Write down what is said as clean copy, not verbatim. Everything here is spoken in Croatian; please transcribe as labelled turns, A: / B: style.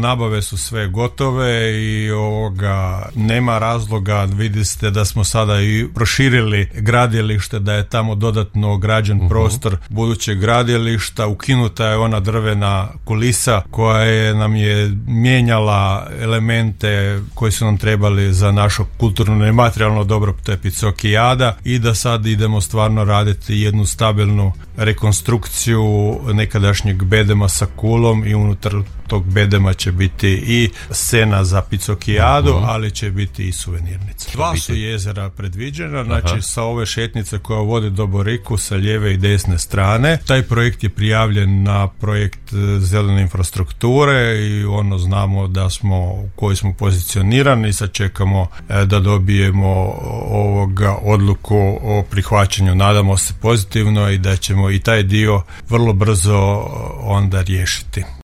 A: Nabave su sve gotove i nema razloga, vidite da smo sada i proširili gradilište, da je tamo dodatno građen prostor budućeg gradilišta, ukinuta je ona drvena kulisa koja nam je mijenjala elemente koji su nam trebali za naše kulturno i materijalno dobro, to je Picokijada, i da sad idemo stvarno raditi jednu stabilnu rekonstrukciju nekadašnjeg bedema sa kulom i unutar tog bedema će biti i scena za Picokijadu, ali će biti i suvenirnica. Dva su jezera predviđena, znači sa ove šetnice koja vodi do Boriku sa lijeve i desne strane. Taj projekt je prijavljen na projekt zelene infrastrukture i znamo da u kojoj smo pozicionirani. Sad čekamo da dobijemo odluku o prihvaćanju. Nadamo se pozitivno i da ćemo i taj dio vrlo brzo onda riješiti.